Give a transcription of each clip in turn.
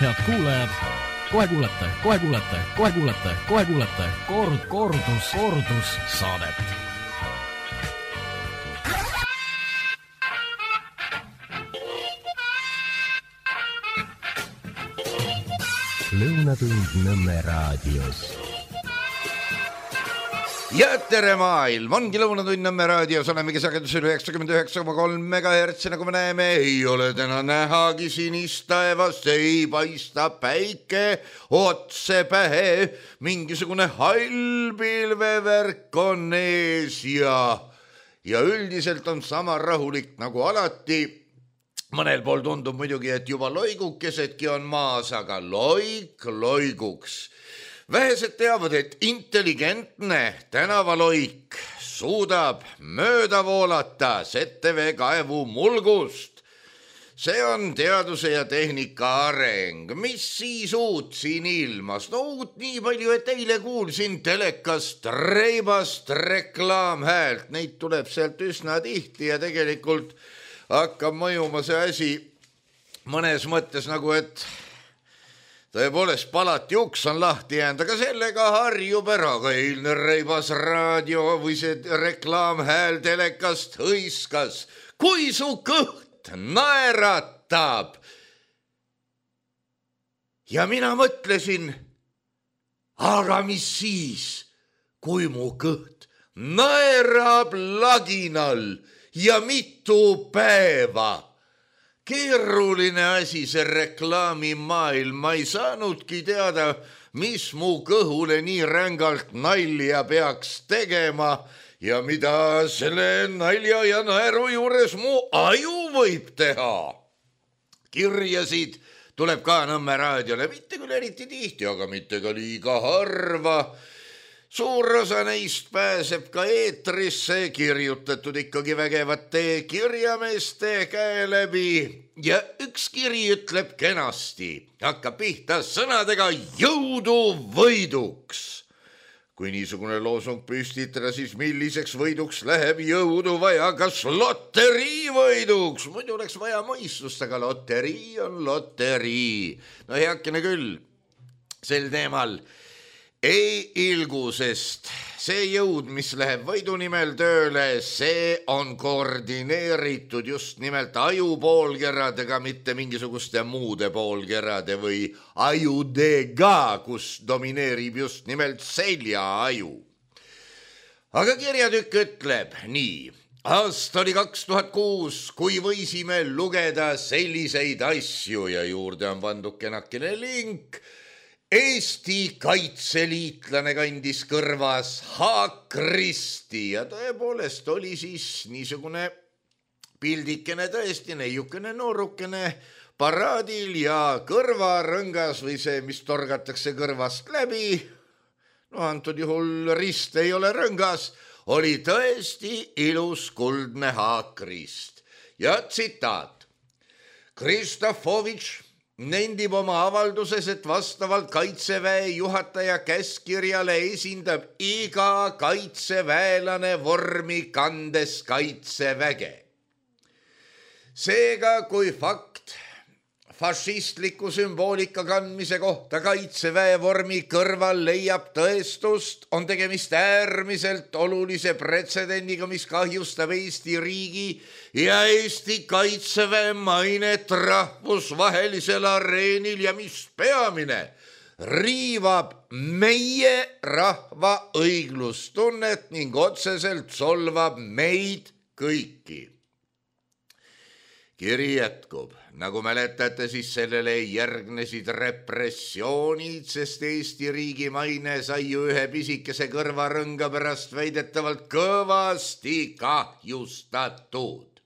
Head kuulajad, kohe kuulete kordussaadet. Lõunatund Nõmme raadios. Ja tere maailm, ongi Lõunatund Nõmme raadios, olemegi sagedusel 99,3 MHz, nagu me näeme, ei ole täna nähagi sinist taevast, ei paista päike otse pähe, mingisugune hall pilvevärk on ees ja üldiselt on sama rahulik nagu alati. Mõnel pool tundub muidugi, et juba loigukesedki on maas, aga loik loiguks. Vähesed teavad, et intelligentne tänavaloik suudab mööda voolata ZTV kaevu mulgust. See on teaduse ja tehnika areng. Mis siis uut siin ilmas? No uut nii palju, et eile kuulsin telekast reibast reklaamhäält. Neid tuleb sealt üsna tihti ja tegelikult hakkab mõjuma see asi mõnes mõttes nagu, et tõepoolest palati uks on lahti jäänud, aga sellega harjub ära. Ka eilne reibas raadio või see reklaamhääl telekast hõiskas. Kui su kõht naeratab. Ja mina mõtlesin, aga mis siis, kui mu kõht naerab laginal ja mitu päeva? Keeruline asi see reklaamimaailm, ma ei saanudki teada, mis mu kõhule nii rängalt nalja peaks tegema ja mida selle nalja ja naeru juures mu aju võib teha. Kirjasid tuleb ka Nõmme raadiole, mitte küll eriti tihti, aga mitte ka liiga harva. Suur osa neist pääseb ka eetrisse, kirjutatud ikkagi vägevate kirjameeste käe läbi ja üks kiri ütleb kenasti, hakkab pihta sõnadega jõudu võiduks. Kui niisugune loosung püstitada, siis milliseks võiduks läheb jõudu vaja, kas loterii võiduks? Muidu oleks vaja mõistust, aga loterii on loterii. No heakene küll, sel teemal ei ilgu, sest see jõud, mis läheb võidu nimel tööle, see on koordineeritud just nimelt ajupoolkeradega, mitte mingisuguste muude poolkerade või ajudega, kus domineerib just nimelt seljaaju. Aga kirjatükk ütleb nii. Aasta oli 2006, kui võisime lugeda selliseid asju ja juurde on pandud kenakene link. Eesti kaitseliitlane kandis kõrvas haakristi ja tõepoolest oli siis niisugune pildikene tõesti neiukene noorukene paraadil ja kõrvarõngas või see, mis torgatakse kõrvast läbi, no antud juhul rist ei ole rõngas, oli tõesti ilus kuldne haakrist. Ja tsitaat. Kristofovitš nendib oma avalduses, et vastavalt kaitseväe juhataja käskirjale esindab iga kaitseväelane vormi kandes kaitseväge. Seega, kui fakt fašistliku sümboolika kandmise kohta kaitseväe vormi kõrval leiab tõestust, on tegemist äärmiselt olulise pretsedendiga, mis kahjustab Eesti riigi ja Eesti kaitseväe mainet rahvusvahelisel areenil ja mis peamine, riivab meie rahva õiglustunnet ning otseselt solvab meid kõiki. Kiri jätkub. Nagu mäletate, siis sellele järgnesid repressioonid, sest Eesti riigi maine sai ju ühe pisikese kõrvarõnga pärast väidetavalt kõvasti kahjustatud.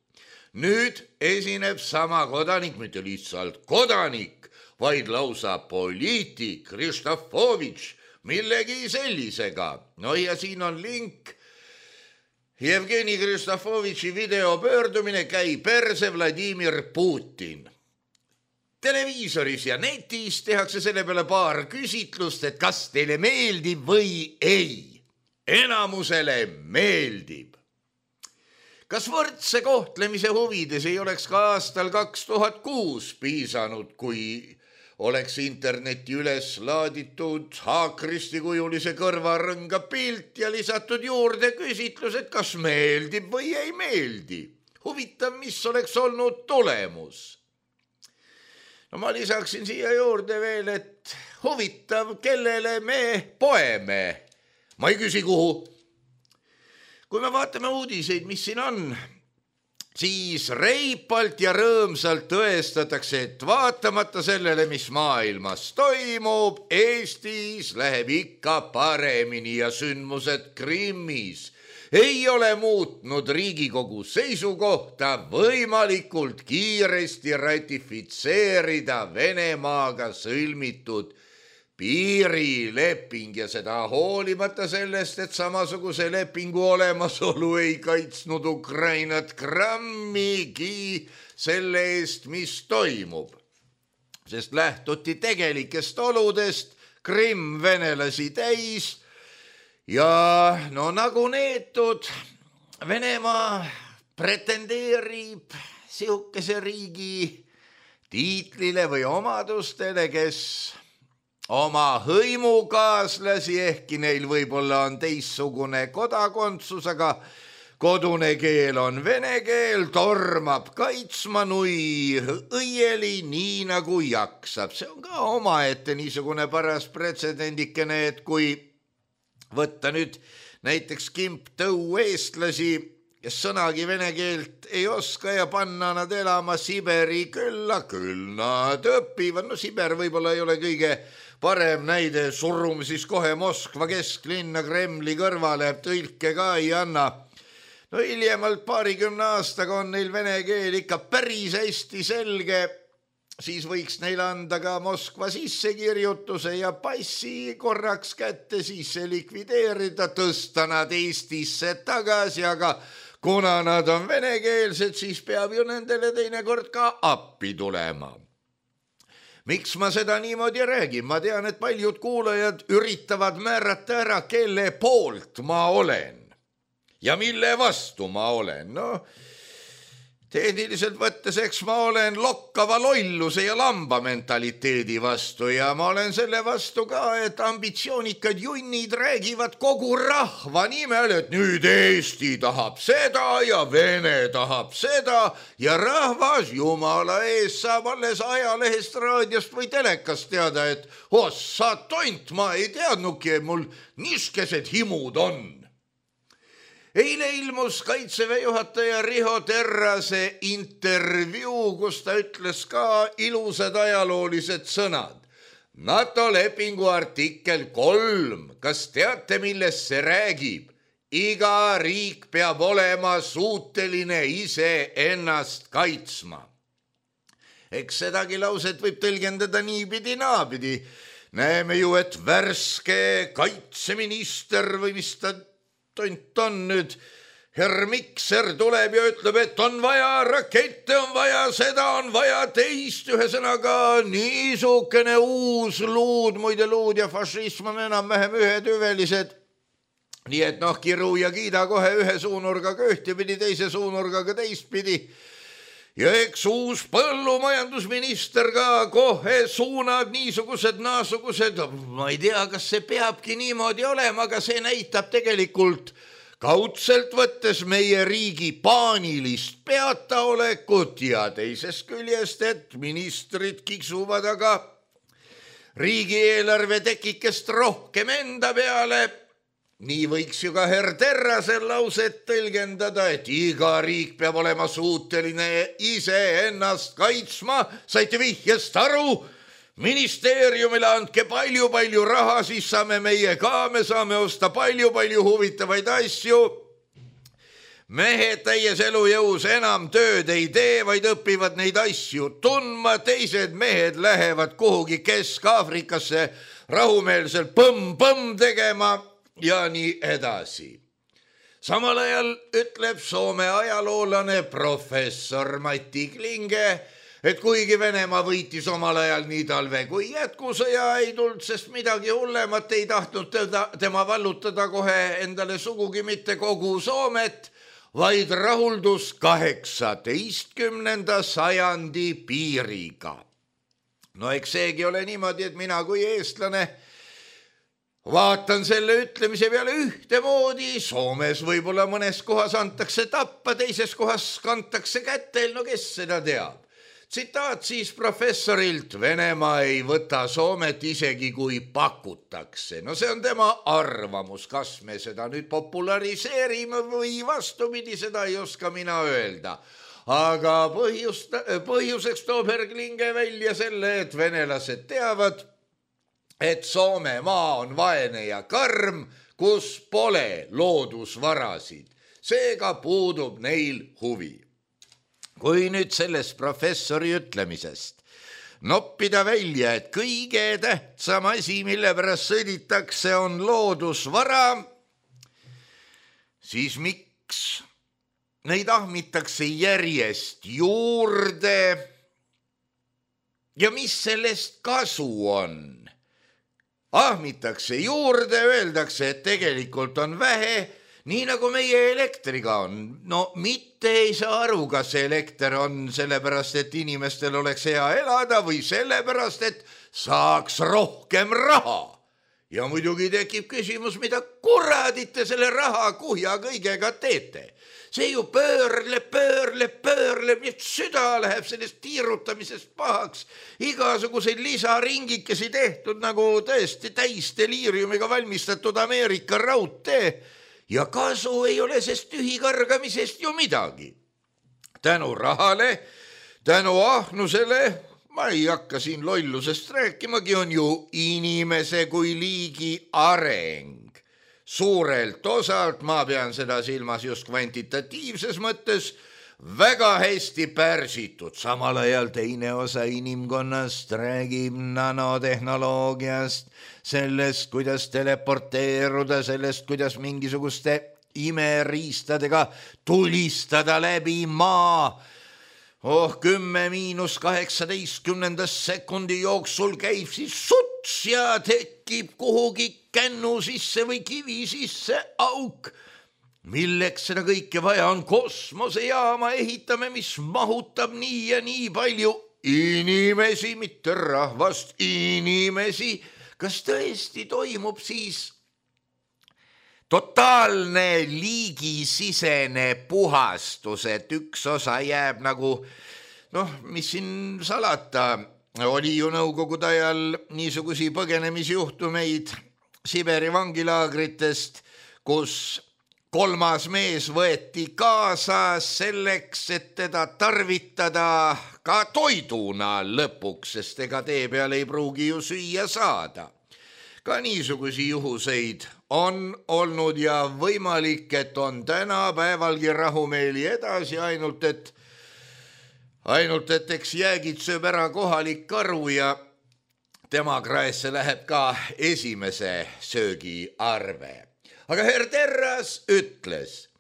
Nüüd esineb sama kodanik, mitte lihtsalt kodanik, vaid lausa poliitik Kristofovitš millegi sellisega. No ja siin on link. Jevgeni Kristofovitši videopöördumine käi perse Vladimir Putin. Televiisoris ja netis tehakse selle peale paar küsitlust, et kas teile meeldib või ei. Enamusele meeldib. Kas võrdse kohtlemise huvides ei oleks ka aastal 2006 piisanud, kui oleks interneti üles laaditud haakristikujuline kõrvarõnga pilt ja lisatud juurde küsitlus, et kas meeldib või ei meeldi. Huvitav, mis oleks olnud tulemus. No ma lisaksin siia juurde veel, et huvitav, kellele me poeme. Ma ei küsi, kuhu. Kui me vaatame uudiseid, mis siin on, siis reipalt ja rõõmsalt tõestatakse, et vaatamata sellele, mis maailmas toimub, Eestis läheb ikka paremini ja sündmused Krimmis ei ole muutnud Riigikogu seisukohta võimalikult kiiresti ratifitseerida Venemaaga sõlmitud piirileping ja seda hoolimata sellest, et samasuguse lepingu olemasolu ei kaitsnud Ukrainat grammigi selle eest, mis toimub. Sest lähtuti tegelikest oludest, Krimm venelasi täis ja no nagu neetud, Venemaa pretendeerib sihukese riigi tiitlile või omadustele, kes oma hõimukaaslasi, ehkki neil võib-olla on teistsugune kodakondsus, aga kodune keel on vene keel, tormab kaitsma nui õieli nii nagu jaksab. See on ka omaette niisugune paras pretsedendikene, et kui võtta nüüd näiteks kimptõu eestlasi, kes sõnagi vene keelt ei oska ja panna nad elama Siberi külla, küll nad õpivad. No Siber võib-olla ei ole kõige parem näide, surume siis kohe Moskva kesklinna Kremli kõrvale, tõlke ka ei anna. No hiljemalt 20 aastaga on neil vene keel ikka päris hästi selge, siis võiks neil anda ka Moskva sissekirjutuse ja passi korraks kätte, siis see likvideerida, tõsta nad Eestisse tagasi, aga kuna nad on venekeelsed, siis peab ju nendele teinekord ka appi tulema. Miks ma seda niimoodi räägin? Ma tean, et paljud kuulajad üritavad määrata ära, kelle poolt ma olen ja mille vastu ma olen. No, tehniliselt võttes, eks ma olen lokkava lolluse ja lamba mentaliteedi vastu ja ma olen selle vastu ka, et ambitsioonikad junnid räägivad kogu rahva nimel, et nüüd Eesti tahab seda ja Vene tahab seda ja rahvas jumala ees saab alles ajalehest, raadiost või telekast teada, et ossa tont, ma ei teadnudki, et mul niskesed himud on. Eile ilmus Kaitseväe juhataja Riho Terrase intervjuu, kus ta ütles ka ilusad ajaloolised sõnad. NATO lepingu artikkel 3, kas teate, millest see räägib? Iga riik peab olema suuteline ise ennast kaitsma. Eks sedagi lauset võib tõlgendada niipidi naapidi. Näeme ju, et värske kaitseminister või mis ta tont on nüüd, Herr Mikser tuleb ja ütleb, et on vaja rakette, on vaja seda, on vaja teist, ühesõnaga niisugune uus luud, muide luud ja fašism on enam-vähem ühetüvelised. Nii et noh, kiru ja kiida kohe ühe suunurgaga ühtepidi, teise suunurgaga teistpidi. Ja eks uus põllumajandusminister ka kohe suunab niisugused, naasugused, ma ei tea, kas see peabki niimoodi olema, aga see näitab tegelikult kaudselt võttes meie riigi paanilist peataolekut ja teisest küljest, et ministrid kiksuvad aga riigieelarve tekikest rohkem enda peale. Nii võiks ju ka Herr Terrasel lauset tõlgendada, et iga riik peab olema suuteline ise ennast kaitsma. Saite vihjest aru? Ministeeriumile andke palju raha, siis saame meie ka, me saame osta palju huvitavaid asju. Mehed täies elujõus enam tööd ei tee, vaid õpivad neid asju tundma. Teised mehed lähevad kuhugi Kesk-Aafrikasse rahumeelselt põmm tegema ja nii edasi. Samal ajal ütleb Soome ajaloolane professor Mati Klinge, et kuigi Venemaa võitis omal ajal nii talve kui jätkusõja, ei tulnud, sest midagi hullemat ei tahtnud tema vallutada kohe endale sugugi mitte kogu Soomet, vaid rahuldus 18. sajandi piiriga. no eks seegi ole niimoodi, et mina kui eestlane vaatan selle ütlemise peale ühtemoodi. Soomes võib-olla mõnes kohas antakse tappa, teises kohas kantakse kätel, no kes seda teab. Tsitaat siis professorilt: Venemaa ei võta Soomet isegi kui pakutakse. No see on tema arvamus, kas me seda nüüd populariseerime või vastupidi, seda ei oska mina öelda. Aga põhjuseks toob herr Klinge välja selle, et venelased teavad, et Soome maa on vaene ja karm, kus pole loodusvarasid. Seega puudub neil huvi. Kui nüüd sellest professori ütlemisest noppida välja, et kõige tähtsam asi, mille pärast sõditakse, on loodusvara, siis miks neid ahmitakse järjest juurde ja mis sellest kasu on? Ahmitakse juurde, öeldakse, et tegelikult on vähe, nii nagu meie elektriga on. No mitte ei saa aru, kas elekter on sellepärast, et inimestel oleks hea elada või sellepärast, et saaks rohkem raha. Ja muidugi tekib küsimus, mida kuradite selle raha kuhja kõigega teete. See ju pöörleb, nii süda läheb sellest tiirutamisest pahaks. Igasuguseid lisaringikesi tehtud nagu tõesti täis deliiriumiga valmistatud Ameerika raudtee. Ja kasu ei ole sest tühikargamisest ju midagi. Tänu rahale, tänu ahnusele, ma ei hakka siin lollusest rääkimagi, on ju inimese kui liigi areng. Suurelt osalt, ma pean seda silmas just kvantitatiivses mõttes, väga hästi pärsitud. Samal ajal teine osa inimkonnast räägib nanotehnoloogiast, sellest, kuidas teleporteeruda, sellest, kuidas mingisuguste imeriistadega tulistada läbi maa. 10-18 sekundi jooksul käib siis suts ja tekib kuhugi kännu sisse või kivi sisse auk. Milleks seda kõike vaja on? Kosmosejaama ehitame, mis mahutab nii ja nii palju inimesi, mitte rahvast, inimesi. Kas tõesti toimub siis totaalne liigisisene puhastus, et üks osa jääb nagu, mis siin salata, oli ju nõukogude ajal niisugusi põgenemisjuhtumeid Siberi vangilaagritest, kus kolmas mees võeti kaasa selleks, et teda tarvitada ka toiduna lõpuks, sest ega tee peal ei pruugi ju süüa saada. Ka niisugusi juhuseid on olnud ja võimalik, et on tänapäevalgi rahumeeli edasi, ainult et eks jäägid sööb ära kohalik karu ja tema kraesse läheb ka esimese söögi arve. Aga herr Terras ütles,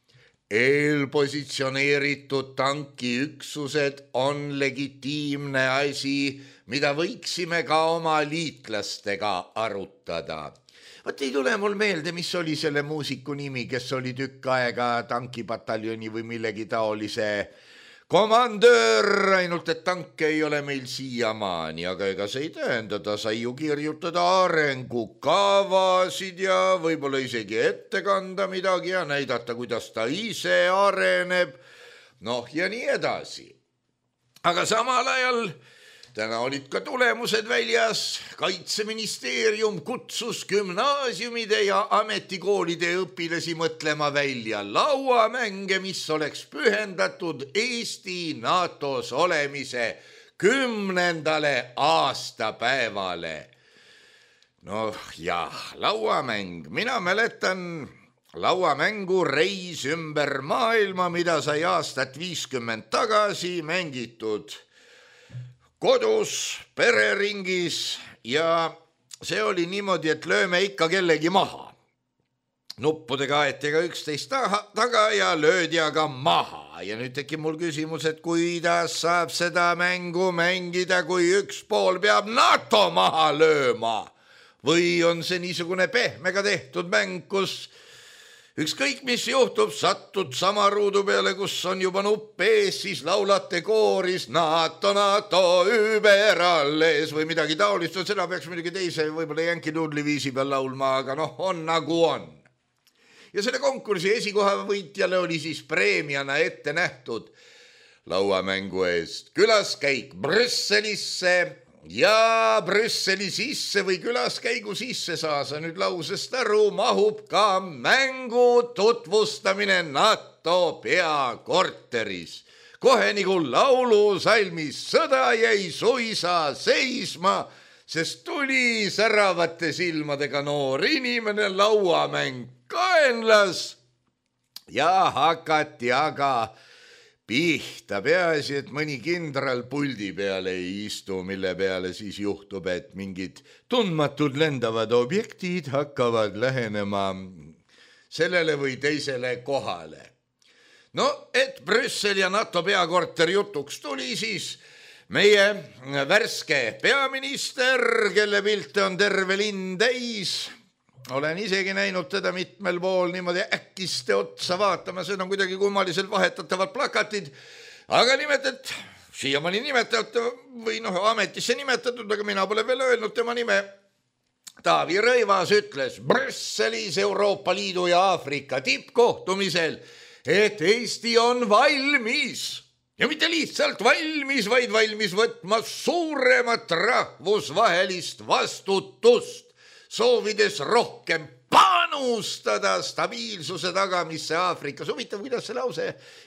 eelpositsioneeritud tankiüksused on legitiimne asi, mida võiksime ka oma liitlastega arutada. Vaat ei tule mul meelde, mis oli selle muusiku nimi, kes oli tükk aega tankipataljoni või millegi taolise komandöör, ainult et tanke ei ole meil siiamaani, aga ega see ei tähenda, ta sai ju kirjutada arengukavasid ja võib-olla isegi ette kanda midagi ja näidata, kuidas ta ise areneb, ja nii edasi. Aga samal ajal täna olid ka tulemused väljas. Kaitseministeerium kutsus gümnaasiumide ja ametikoolide õpilasi mõtlema välja lauamänge, mis oleks pühendatud Eesti NATOs olemise 10. aastapäevale. Lauamäng. Mina mäletan lauamängu Reis ümber maailma, mida sai aastat 50 tagasi mängitud kodus, pereringis ja see oli niimoodi, et lööme ikka kellegi maha. Nuppudega aeti ka üksteist taga ja löödi aga maha. Ja nüüd tekib mul küsimus, et kuidas saab seda mängu mängida, kui üks pool peab NATO maha lööma? Või on see niisugune pehmega tehtud mäng, kus ükskõik, mis juhtub, satud sama ruudu peale, kus on juba nupp ees, siis laulate kooris NATO, NATO, überalles või midagi taolist. Seda peaks muidugi teise võib-olla Yankee Doodle viisi peal laulma, aga on nagu on. Ja selle konkursi esikoha võitjale oli siis preemiana ette nähtud lauamängu eest külaskäik Brüsselisse ja Brüsseli sisse või külaskäigu sisse, saa sa nüüd lausest aru, mahub ka mängu tutvustamine NATO peakorteris. Kohe nagu laulusalmis sõda jäi suisa seisma, sest tuli säravate silmadega noor inimene, lauamäng kaenlas ja hakati aga pihta. Peaasi, et mõni kindral puldi peale ei istu, mille peale siis juhtub, et mingid tundmatud lendavad objektid hakkavad lähenema sellele või teisele kohale. No, et Brüssel ja NATO peakorter jutuks tuli, siis meie värske peaminister, kelle pilte on terve linn täis, olen isegi näinud teda mitmel pool niimoodi äkkiste otsa vaatama, see on kuidagi kummaliselt vahetatavad plakatid, aga siiamaani nimetatud või ametisse nimetatud, aga mina pole veel öelnud tema nime. Taavi Rõivas ütles Brüsselis Euroopa Liidu ja Aafrika tippkohtumisel, et Eesti on valmis ja mitte lihtsalt valmis, vaid valmis võtma suuremat rahvusvahelist vastutust, soovides rohkem panustada stabiilsuse tagamisse Aafrikas. Huvitav, kuidas see lause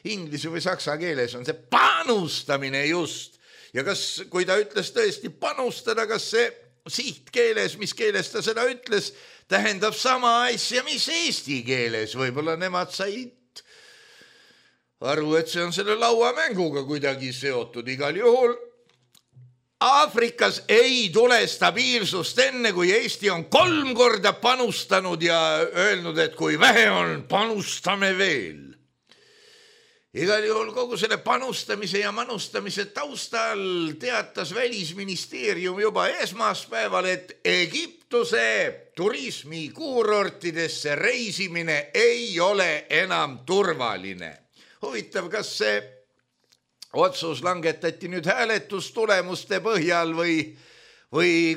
inglise või saksa keeles on, see panustamine just. Ja kas, kui ta ütles tõesti panustada, kas see sihtkeeles, mis keeles ta seda ütles, tähendab sama asja, mis eesti keeles. Võib-olla nemad said aru, et see on selle lauamänguga kuidagi seotud. Igal juhul Aafrikas ei tule stabiilsust enne, kui Eesti on 3 korda panustanud ja öelnud, et kui vähe on, panustame veel. Igal juhul kogu selle panustamise ja manustamise taustal teatas Välisministeerium juba esmaspäeval, et Egiptuse turismikuurortidesse reisimine ei ole enam turvaline. Huvitav, kas see otsus langetati nüüd hääletustulemuste põhjal või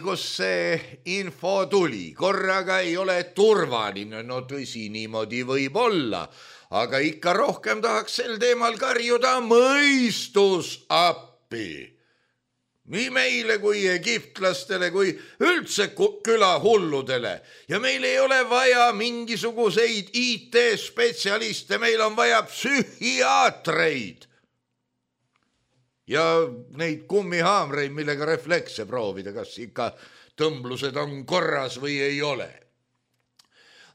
kus see info tuli. Korraga ei ole turvaline, no tõsi, niimoodi võib olla, aga ikka rohkem tahaks sel teemal karjuda mõistus appi. Nii meile kui egiptlastele kui üldse külahulludele. Ja meil ei ole vaja mingisuguseid IT-spetsialiste, meil on vaja psühhiaatreid. Ja neid kummihaamreid, millega reflekse proovida, kas ikka tõmblused on korras või ei ole.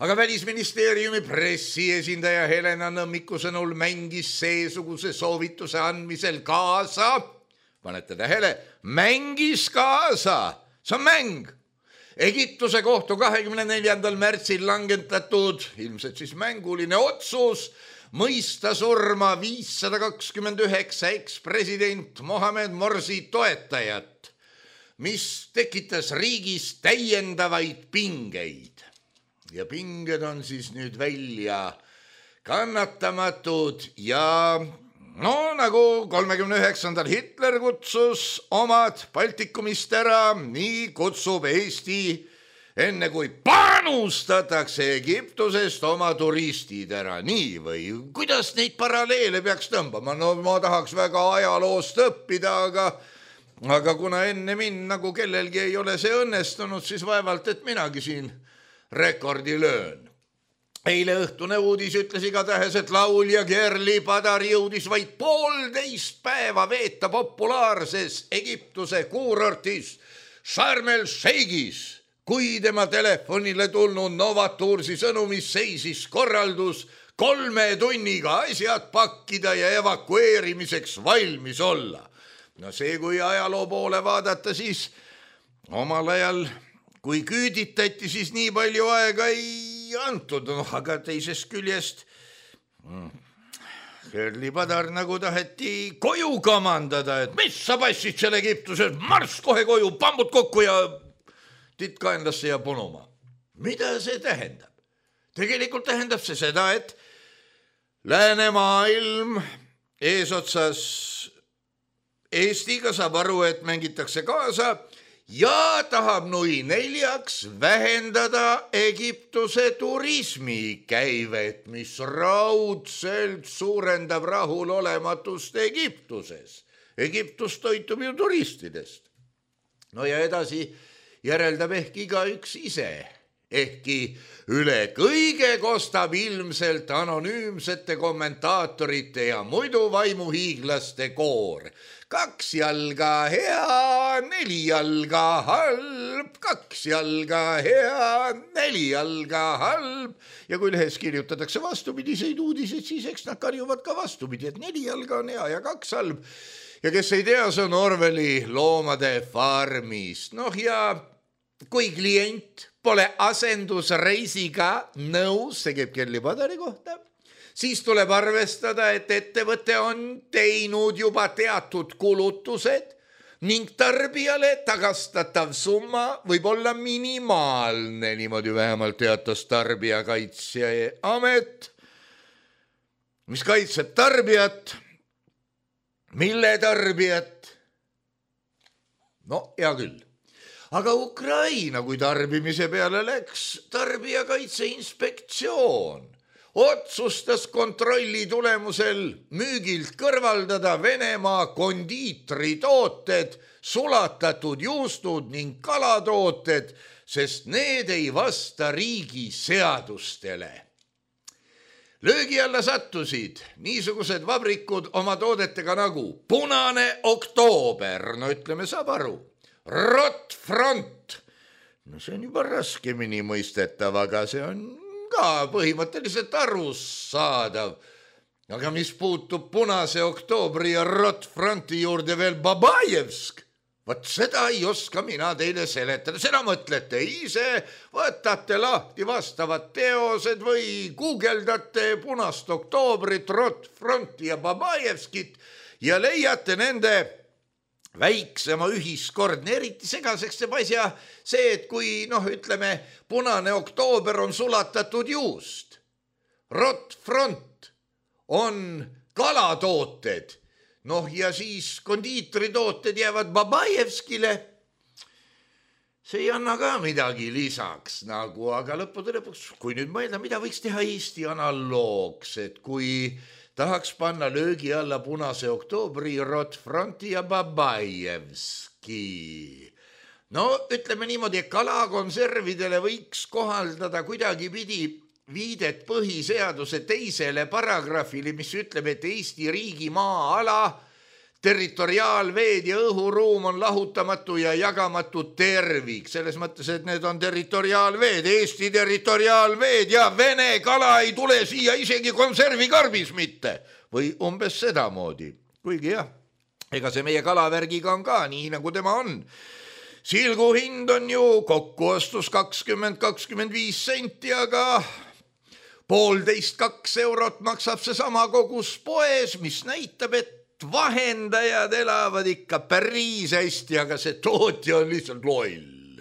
Aga Välisministeeriumi pressiesindaja Helena Nõmmiku sõnul mängis seesuguse soovituse andmisel kaasa. Panete tähele, mängis kaasa. See on mäng. Egiptuse kohtu 24. märtsil langetatud, ilmselt siis mänguline otsus, mõista surma 529 ekspresident Mohamed Morsi toetajat, mis tekitas riigis täiendavaid pingeid. Ja pinged on siis nüüd välja kannatamatud ja nagu 39. Hitler kutsus omad Baltikumist ära, nii kutsub Eesti enne kui panustatakse Egiptusest oma turistid ära, nii või? Kuidas neid paralleele peaks tõmbama? No ma tahaks väga ajaloost õppida, aga kuna enne mind nagu kellelgi ei ole see õnnestunud, siis vaevalt, et minagi siin rekordi löön. Eile õhtune uudis ütles igatahes, et laulja Gerli Padar jõudis vaid 1,5 päeva veeta populaarses Egiptuse kuurortis Sharm el-Sheikhis, kui tema telefonile tulnud Novatursi sõnumis seisis korraldus 3 tunniga asjad pakkida ja evakueerimiseks valmis olla. No see, kui ajaloo poole vaadata, siis omal ajal, kui küüditati, siis nii palju aega ei antud, aga teisest küljest Gerli Padar nagu taheti koju kamandada, et mis sa passid seal Egiptuses, marss kohe koju, pambud kokku ja titt kaenlasse ja punuma. Mida see tähendab? Tegelikult tähendab see seda, et läänemaailm eesotsas Eestiga saab aru, et mängitakse kaasa ja tahab nui neljaks vähendada Egiptuse turismikäivet, mis raudselt suurendab rahulolematust Egiptuses. Egiptus toitub ju turistidest. No ja edasi järeldab ehk igaüks ise. Ehkki üle kõige kostab ilmselt anonüümsete kommentaatorite ja muidu vaimuhiiglaste koor. 2 jalga hea, 4 jalga halb, 2 jalga hea, 4 jalga halb. Ja kui lehes kirjutatakse vastupidiseid uudiseid, siis eks nad karjuvad ka vastupidi, et 4 jalga on hea ja 2 halb. Ja kes ei tea, see on Orwelli Loomade farmist. Noh ja kui klient pole asendusreisiga nõus, see käib Kelly Padari kohta, siis tuleb arvestada, et ettevõte on teinud juba teatud kulutused ning tarbijale tagastatav summa võib olla minimaalne, niimoodi vähemalt teatas Tarbijakaitseamet, mis kaitseb tarbijat. Mille tarbijat? No hea küll. Aga Ukraina, kui tarbimise peale läks, Tarbijakaitse Inspektsioon otsustas kontrolli tulemusel müügilt kõrvaldada Venemaa kondiitritooted, sulatatud juustud ning kalatooted, sest need ei vasta riigi seadustele. Löögi alla sattusid niisugused vabrikud oma toodetega nagu Punane Oktoober, no ütleme, saab aru. Rotfront, no see on juba raskemini mõistetav, aga see on ka põhimõtteliselt arusaadav. Aga mis puutub Punase Oktoobri ja Rotfronti juurde veel Babajevsk, vot seda ei oska mina teile seletada, seda mõtlete ise, võtate lahti vastavad teosed või guugeldate Punast Oktoobrit, Rotfronti ja Babajevskit ja leiate nende väiksema ühiskordne, eriti segaseks teeb asja see, et kui, ütleme, Punane Oktoober on sulatatud juust, Rotfront on kalatooted, ja siis kondiitritooted jäävad Babajevskile, see ei anna ka midagi lisaks nagu, aga lõppude lõpuks, kui nüüd mõelda, mida võiks teha Eesti analoogs, et kui tahaks panna löögi alla Punase Oktoobri, Rotfronti ja Babajevski. No ütleme niimoodi, et kalakonservidele võiks kohaldada kuidagipidi viidet põhiseaduse 2. paragrahvile, mis ütleb, et Eesti riigi maa-ala, territoriaalveed ja õhuruum on lahutamatu ja jagamatu tervik. Selles mõttes, et need on territoriaalveed, Eesti territoriaalveed ja Vene kala ei tule siia isegi konservikarbis mitte. Või umbes sedamoodi. Kuigi jah, ega see meie kalavärgiga on ka nii, nagu tema on. Silgu hind on ju kokkuostus 20-25 senti, aga 1,5–2 eurot maksab see sama kogus poes, mis näitab, et vahendajad elavad ikka päris hästi, aga see tootja on lihtsalt loll.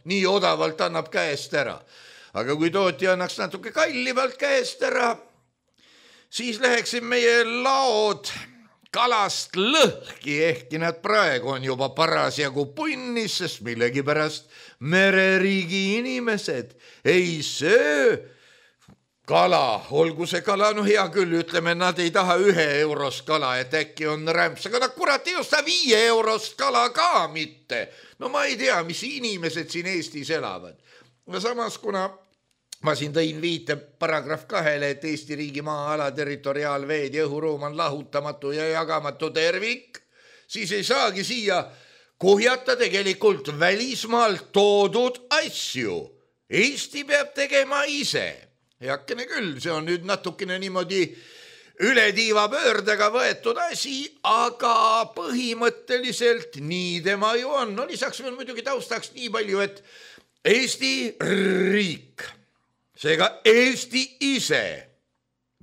Nii odavalt annab käest ära. Aga kui tootja annaks natuke kallimalt käest ära, siis läheksid meie laod kalast lõhki, ehkki nad praegu on juba parasjagu punnis, sest millegipärast mereriigi inimesed ei söö kala, olgu see kala, hea küll, ütleme, nad ei taha 1 eurost kala, et äkki on rämps, aga kurat ei osta 5 eurost kala ka mitte. Ma ei tea, mis inimesed siin Eestis elavad. Samas, kuna ma siin tõin viite paragrahv 2, et Eesti riigi maa-ala, territoriaalveed ja õhuruum on lahutamatu ja jagamatu tervik, siis ei saagi siia kuhjata tegelikult välismaalt toodud asju. Eesti peab tegema ise. Heakene küll, see on nüüd natukene niimoodi üle tiiva pöördega võetud asi, aga põhimõtteliselt nii tema ju on. Lisaks veel muidugi taustaks nii palju, et Eesti riik, seega Eesti ise,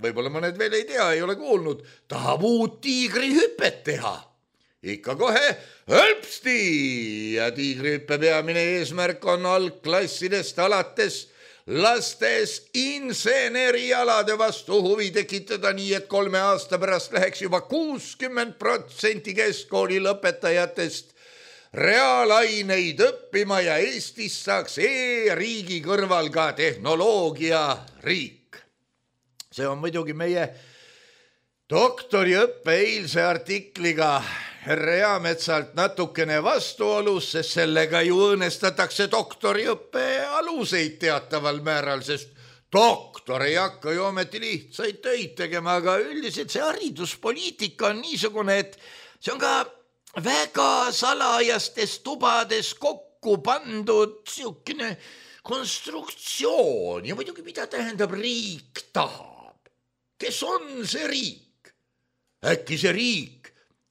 võib-olla mõned veel ei tea, ei ole kuulnud, tahab uut tiigrihüpet teha. Ikka kohe hõlpsti ja tiigrihüppe peamine eesmärk on algklassidest alates lastes insenerialade vastu huvi tekitada nii, et 3 aasta pärast läheks juba 60% keskkooli lõpetajatest reaalaineid õppima ja Eestis saaks e-riigi kõrval ka tehnoloogiariik. See on muidugi meie doktoriõppe eilse artikliga härra Eametsalt natukene vastuolus, sest sellega ju õõnestatakse doktoriõppe aluseid teataval määral, sest doktor ei hakka ju ometi lihtsaid töid tegema, aga üldiselt see hariduspoliitika on niisugune, et see on ka väga salajastes tubades kokku pandud siukene konstruktsioon ja muidugi mida tähendab riik tahab. Kes on see riik? Äkki see riik,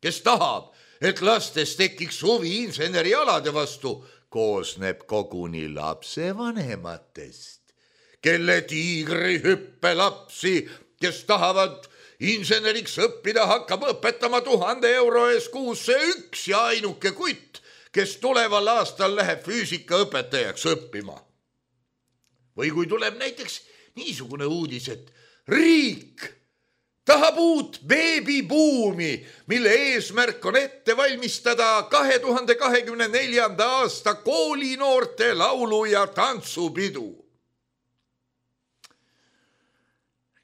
kes tahab, et lastes tekiks huvi insenerialade vastu, koosneb koguni lapsevanematest, kelle tiigrihüppe lapsi, kes tahavad inseneriks õppida, hakkab õpetama 1000 euro ees kuus see üks ja ainuke kutt, kes tuleval aastal läheb füüsikaõpetajaks õppima. Või kui tuleb näiteks niisugune uudis, et riik tahab uut beebibuumi, mille eesmärk on ette valmistada 2024. aasta koolinoorte laulu- ja tantsupidu.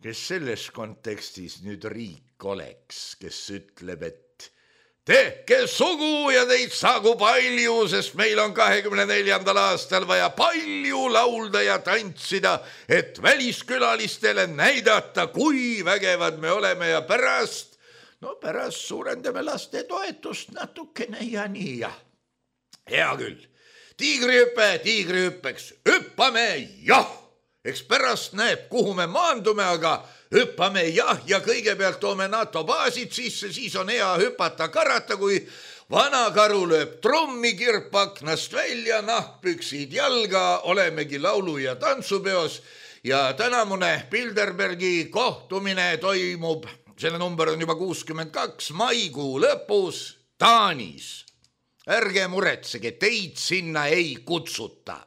Kes selles kontekstis nüüd riik oleks, kes ütleb, et tehke sugu ja teid saagu palju, sest meil on 24. aastal vaja palju laulda ja tantsida, et väliskülalistele näidata, kui vägevad me oleme ja pärast suurendame laste toetust natukene ja nii ja. Hea küll, tiigrihüppeks, hüppame jah! Eks pärast näeb, kuhu me maandume, aga hüppame jah ja kõigepealt toome NATO baasid sisse, siis on hea hüpata karata, kui vana karu lööb trommi kirpaknast välja, nahkpüksid jalga, olemegi laulu- ja tantsupeos ja tänamune Bilderbergi kohtumine toimub, selle number on juba 62, maikuu lõpus Taanis. Ärge muretsege, teid sinna ei kutsuta.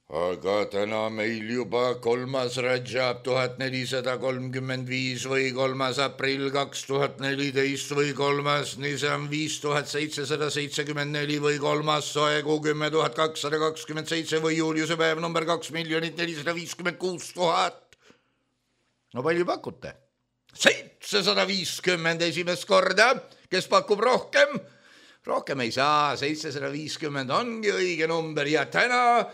Aga täna meil juba 3. Rajab 1435 või 3. aprill 2014 või 3. Nisam 5774 või 3. Soekuu 10227 või Juliuse päev number 2 456 000. No palju pakute? 750 esimest korda, kes pakub rohkem? Rohkem ei saa, 750 ongi õige number ja täna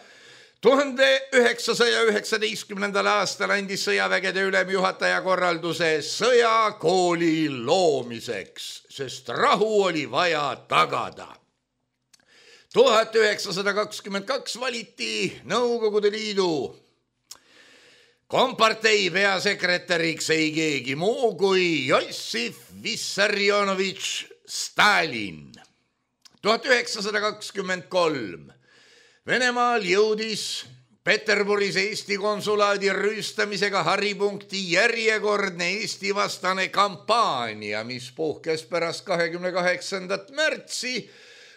1919. aastal andis sõjavägede ülemjuhataja korralduse sõjakooli loomiseks, sest rahu oli vaja tagada. 1922 valiti Nõukogude Liidu kompartei peasekretäriks ei keegi muu kui Jossif Vissarionovitš Stalin. 1923 Venemaal jõudis Peterburis Eesti konsulaadi rüüstamisega haripunkti järjekordne Eesti vastane kampaania, mis puhkes pärast 28. märtsi,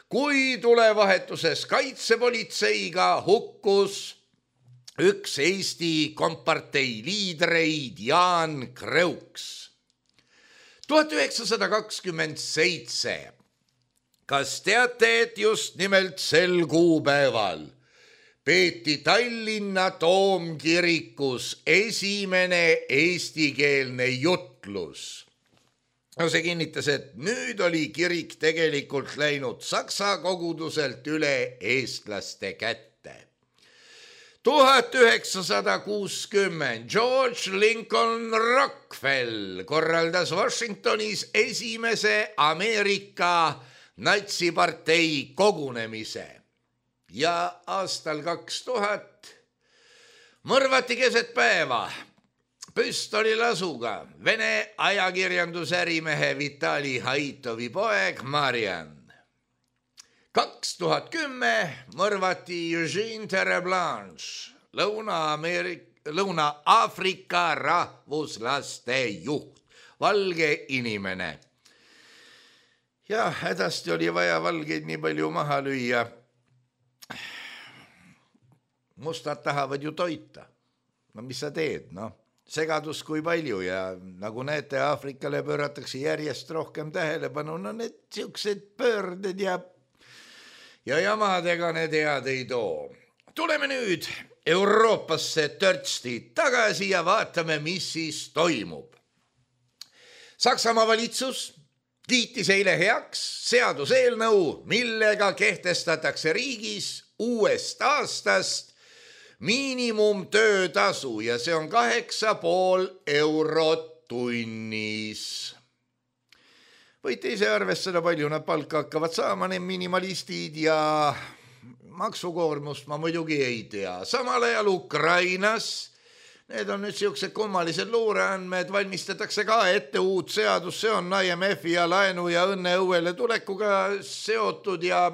kui tulevahetuses kaitsepolitseiga hukkus üks Eesti kompartei liidreid Jaan Kreuks. 1927 Kas teate, et just nimelt sel kuupäeval peeti Tallinna Toomkirikus esimene eestikeelne jutlus? No see kinnitas, et nüüd oli kirik tegelikult läinud saksa koguduselt üle eestlaste kätte. 1960 George Lincoln Rockefeller korraldas Washingtonis esimese Ameerika natsipartei kogunemise ja aastal 2000 mõrvati keset päeva püstolilasuga Vene ajakirjandusärimehe Vitali Haitovi poeg Marian. 2010 mõrvati Eugene Terreblanche, Lõuna-Aafrika rahvuslaste juht, valge inimene. Ja hädasti oli vaja valgeid nii palju maha lüüa. mustad tahavad ju toita. No mis sa teed, segadus kui palju ja nagu näete, Aafrikale pööratakse järjest rohkem tähelepanu, need siuksed pöörded ja jamadega need head ei too. Tuleme nüüd Euroopasse törtsti tagasi ja vaatame, mis siis toimub. Saksamaa valitsus kiitis eile heaks seaduseelnõu, millega kehtestatakse riigis uuest aastast miinimumtöötasu ja see on 8,5 eurot tunnis. Võite ise arvestada, palju nad palka hakkavad saama, need minimalistid ja maksukoormust ma muidugi ei tea. Samal ajal Ukrainas, need on nüüd siuksed kummalised luureandmed, valmistatakse ka ette uut seadus, see on IMF-i ja laenu ja õnneõuele tulekuga seotud ja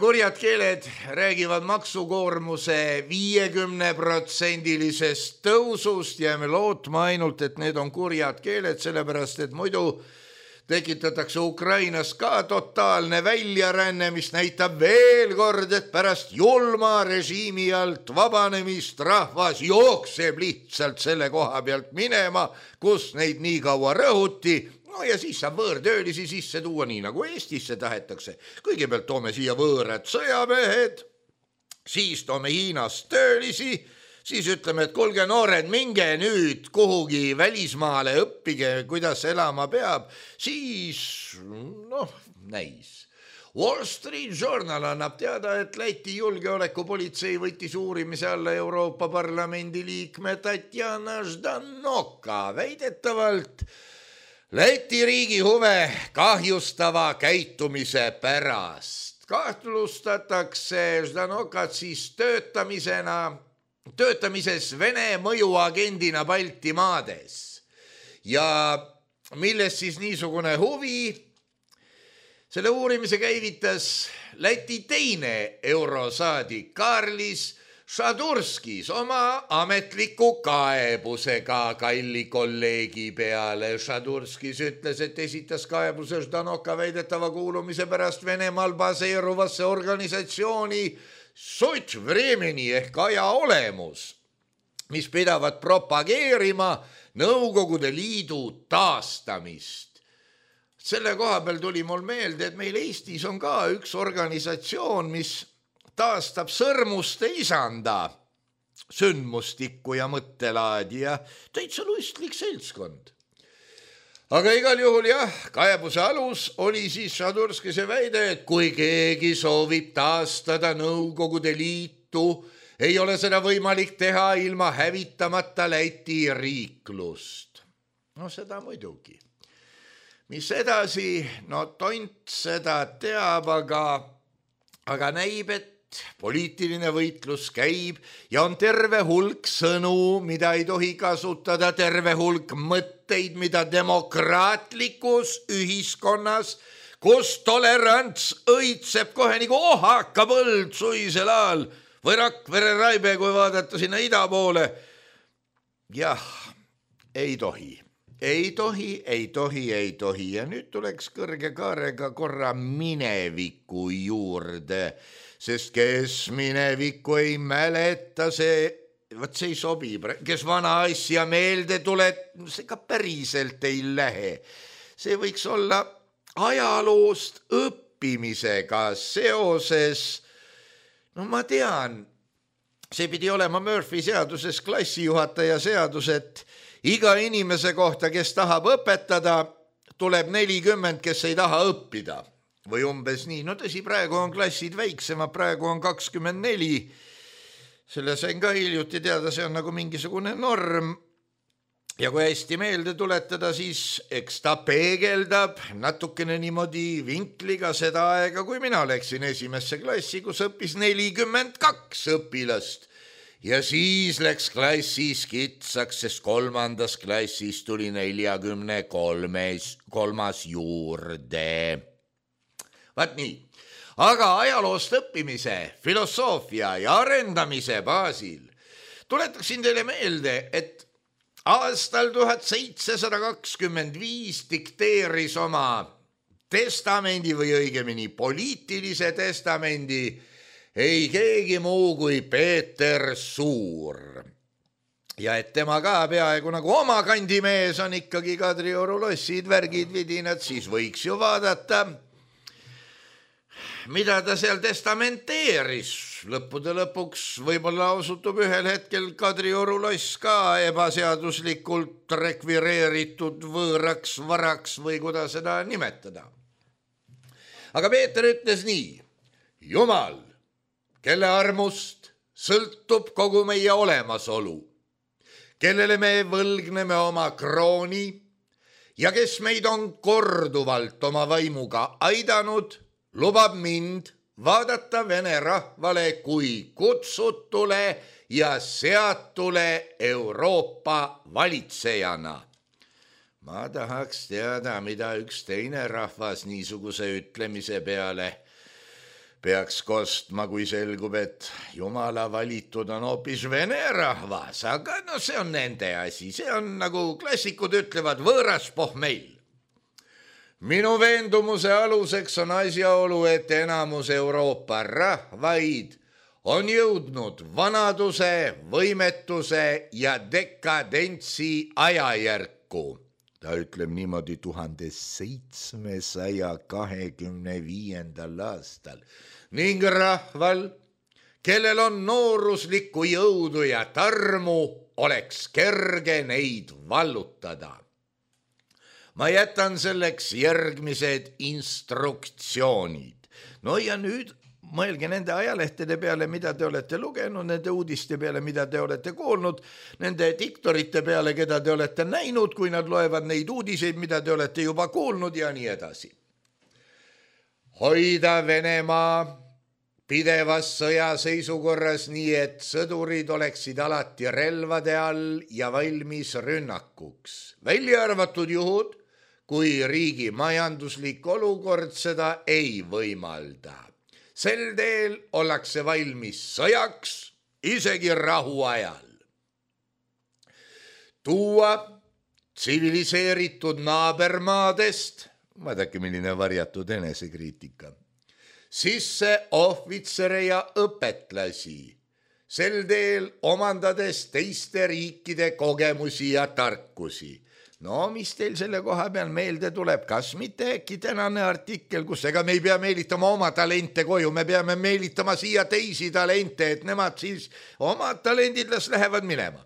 kurjad keeled räägivad maksukoormuse 50%-lisest tõusust ja me lootma ainult, et need on kurjad keeled, sellepärast et muidu tekitatakse Ukrainas ka totaalne väljaränne, mis näitab veel kord, et pärast julma režiimi alt vabanemist rahvas jookseb lihtsalt selle koha pealt minema, kus neid nii kaua rõhuti. No ja siis saab võõrtöölisi sisse tuua, nii nagu Eestisse tahetakse. Kõigepealt toome siia võõrad sõjamehed, siis toome Hiinast töölisi, siis ütleme, et kuulge noored, minge nüüd kuhugi välismaale, õppige, kuidas elama peab, siis näis. Wall Street Journal annab teada, et Läti julgeolekupolitsei võttis uurimise alla Euroopa Parlamendi liikme Tatjana Ždanoka väidetavalt Läti riigi huve kahjustava käitumise pärast. Kahtlustatakse Ždanokat siis töötamises Vene mõjuagendina Baltimaades. Ja milles siis niisugune huvi? Selle uurimise käivitas Läti teine eurosaadik Karlis Šadurskis oma ametliku kaebusega kalli kolleegi peale. Šadurskis ütles, et esitas kaebuse Ždanoka väidetava kuulumise pärast Venemaal baseeruvasse organisatsiooni Sut Vremeni ehk aja olemus, mis pidavat propageerima Nõukogude Liidu taastamist. Selle koha peal tuli mul meelde, et meil Eestis on ka üks organisatsioon, mis taastab sõrmuste isanda sündmustikku ja mõttelaadi ja täitsa lustlik seltskond. Aga igal juhul kaebuse alus oli siis Šadurskise väide, et kui keegi soovib taastada Nõukogude Liitu, ei ole seda võimalik teha ilma hävitamata Läti riiklust. Seda muidugi. Mis edasi? Tont seda teab, aga näib, et poliitiline võitlus käib ja on terve hulk sõnu, mida ei tohi kasutada, terve hulk mõtteid, mida demokraatlikus ühiskonnas, kus tolerants õitseb kohe nagu ohaka põld suisel ajal või Rakvere Raibe, kui vaadata sinna ida poole. Jah, ei tohi. Ei tohi. Ja nüüd tuleks kõrge kaarega korra mineviku juurde, sest kes minevikku ei mäleta, see ei sobi. Kes vana asja meelde tuleb, see ka päriselt ei lähe. See võiks olla ajaloost õppimisega seoses. Ma tean, see pidi olema Murphy seaduses klassijuhataja seadus, et iga inimese kohta, kes tahab õpetada, tuleb 40, kes ei taha õppida. Või umbes nii. Tõsi, praegu on klassid väiksemad, praegu on 24. Selle sain ka hiljuti teada, see on nagu mingisugune norm. Ja kui hästi meelde tuletada, siis eks ta peegeldab natukene niimoodi vinkliga seda aega, kui mina läksin esimesse klassi, kus õppis 42 õpilast. Ja siis läks klassis kitsaks, sest 3. klassis tuli 43 juurde. Vaat nii, aga ajaloost õppimise, filosoofia ja arendamise baasil tuletaksin teile meelde, et aastal 1725 dikteeris oma testamendi või õigemini poliitilise testamendi ei keegi muu kui Peeter Suur. Ja et tema ka peaaegu nagu oma kandimees on ikkagi Kadrioru lossid, värgid, vidinad, siis võiks ju vaadata, mida ta seal testamenteeris. Lõppude lõpuks võib-olla osutub ühel hetkel Kadrioru loss ka ebaseaduslikult rekvireeritud võõraks varaks või kuidas seda nimetada. Aga Peeter ütles nii: Jumal, kelle armust sõltub kogu meie olemasolu, kellele me võlgneme oma krooni ja kes meid on korduvalt oma vaimuga aidanud, lubab mind vaadata vene rahvale kui kutsutule ja seatule Euroopa valitsejana. Ma tahaks teada, mida üks teine rahvas niisuguse ütlemise peale peaks kostma, kui selgub, et Jumala valitud on hoopis vene rahvas, aga no see on nende asi, see on nagu klassikud ütlevad, võõras pohmeil. Minu veendumuse aluseks on asjaolu, et enamus Euroopa rahvaid on jõudnud vanaduse, võimetuse ja dekadentsi ajajärku. Ta ütleb niimoodi 1725. aastal ning rahval, kellel on nooruslikku jõudu ja tarmu, oleks kerge neid vallutada. Ma jätan selleks järgmised instruktsioonid. No ja nüüd mõelge nende ajalehtede peale, mida te olete lugenud, nende uudiste peale, mida te olete kuulnud, nende diktorite peale, keda te olete näinud, kui nad loevad neid uudiseid, mida te olete juba kuulnud ja nii edasi. Hoida Venemaa pidevas sõjaseisukorras nii, et sõdurid oleksid alati relvade all ja valmis rünnakuks. Välja arvatud juhud, kui riigi majanduslik olukord seda ei võimalda. Sel teel ollakse valmis sõjaks, isegi rahuajal. Tuua tsiviliseeritud naabermaadest, vaadake milline varjatud enesekriitika, sisse ohvitsere ja õpetlasi, sel teel omandades teiste riikide kogemusi ja tarkusi. No mis teil selle koha peal meelde tuleb, kas mitte äkki tänane artikkel, kus ega me ei pea meelitama oma talente koju, me peame meelitama siia teisi talente, et nemad siis omad talendid lähevad minema.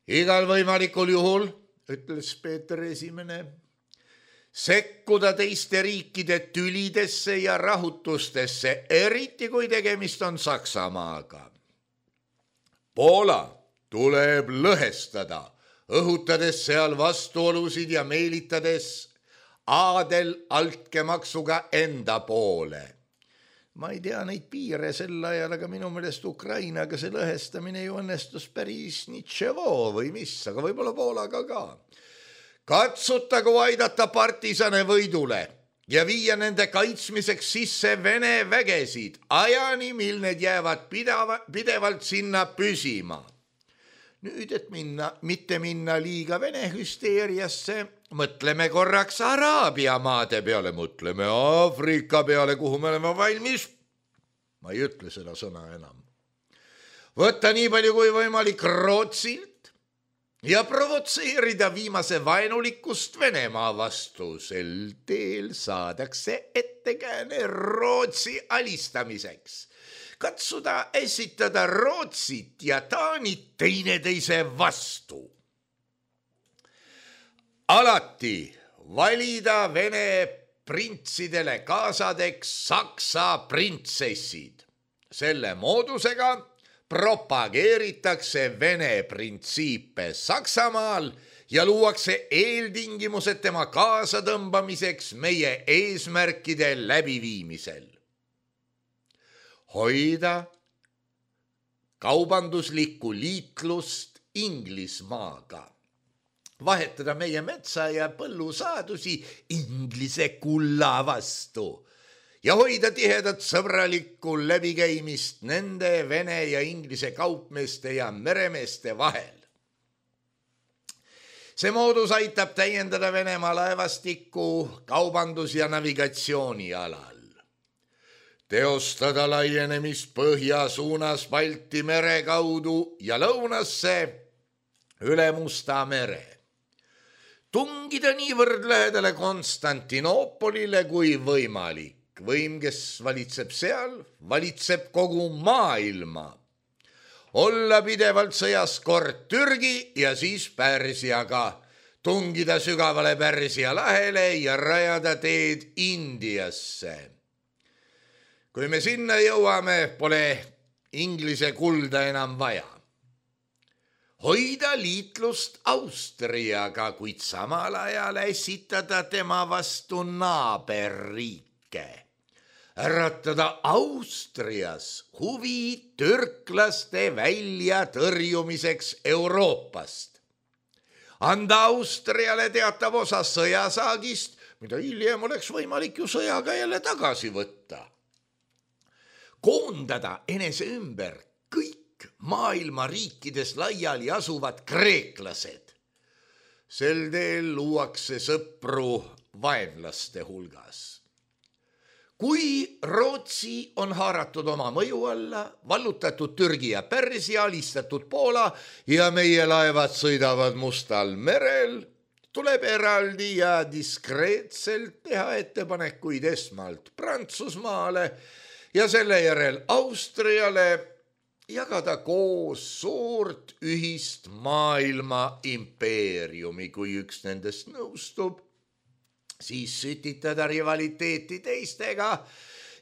Igal võimalikul juhul, ütles Peeter Esimene, sekkuda teiste riikide tülidesse ja rahutustesse, eriti kui tegemist on Saksamaaga. Poola tuleb lõhestada, õhutades seal vastuolusid ja meelitades aadel altkäemaksuga enda poole. Ma ei tea neid piire sel ajal, aga minu meelest Ukrainaga see lõhestamine ju õnnestus päris nitševoo või mis, aga võib-olla Poolaga ka. Katsutagu aidata partisane võidule ja viia nende kaitsmiseks sisse Vene vägesid ajani, mil need jäävad pidevalt sinna püsima. Nüüd, et mitte minna liiga Vene hüsteeriasse, mõtleme korraks Araabia maade peale, mõtleme Aafrika peale, kuhu me oleme valmis. Ma ei ütle seda sõna enam. Võtta nii palju kui võimalik Rootsilt ja provotseerida viimase vaenulikkust Venemaa vastu. Sel teel saadakse ettekääne Rootsi alistamiseks. Katsuda esitada Rootsit ja Taanit teineteise vastu. Alati valida Vene printsidele kaasadeks Saksa printsessid. Selle moodusega propageeritakse Vene printsiipe Saksamaal ja luuakse eeltingimused tema kaasatõmbamiseks meie eesmärkide läbiviimisel. Hoida kaubanduslikku liitlust Inglismaaga. Vahetada meie metsa ja põllusaadusi Inglise kulla vastu ja hoida tihedat sõbralikku läbikäimist nende Vene ja Inglise kaupmeeste ja meremeeste vahel. See moodus aitab täiendada Venemaa laevastikku kaubandus- ja navigatsiooni alal. teostada laienemist põhja suunas Balti mere kaudu ja lõunasse üle Musta mere. Tungida niivõrd lähedale Konstantinoopolile kui võimalik. Võim, kes valitseb seal, valitseb kogu maailma. Olla pidevalt sõjas kord Türgi ja siis Pärsiaga. Tungida sügavale Pärsia lahele ja rajada teed Indiasse. Kui me sinna jõuame, pole Inglise kulda enam vaja. Hoida liitlust Austriaga, kuid samal ajal esitada tema vastu naaberriike. Äratada Austrias huvi türklaste välja tõrjumiseks Euroopast. Anda Austriale teatav osa sõjasaagist, mida hiljem oleks võimalik ju sõjaga jälle tagasi võtta. Koondada enese ümber kõik maailma riikides laiali asuvad kreeklased. Sel teel luuakse sõpru vaenlaste hulgas. Kui Rootsi on haaratud oma mõju alla, vallutatud Türgi ja Pärsia, alistatud Poola ja meie laevad sõidavad Mustal merel, tuleb eraldi ja diskreetselt teha ettepanekuid esmalt Prantsusmaale ja selle järel Austriale jagada koos suurt ühist maailma impeeriumi, kui üks nendest nõustub, siis sütitada rivaliteeti teistega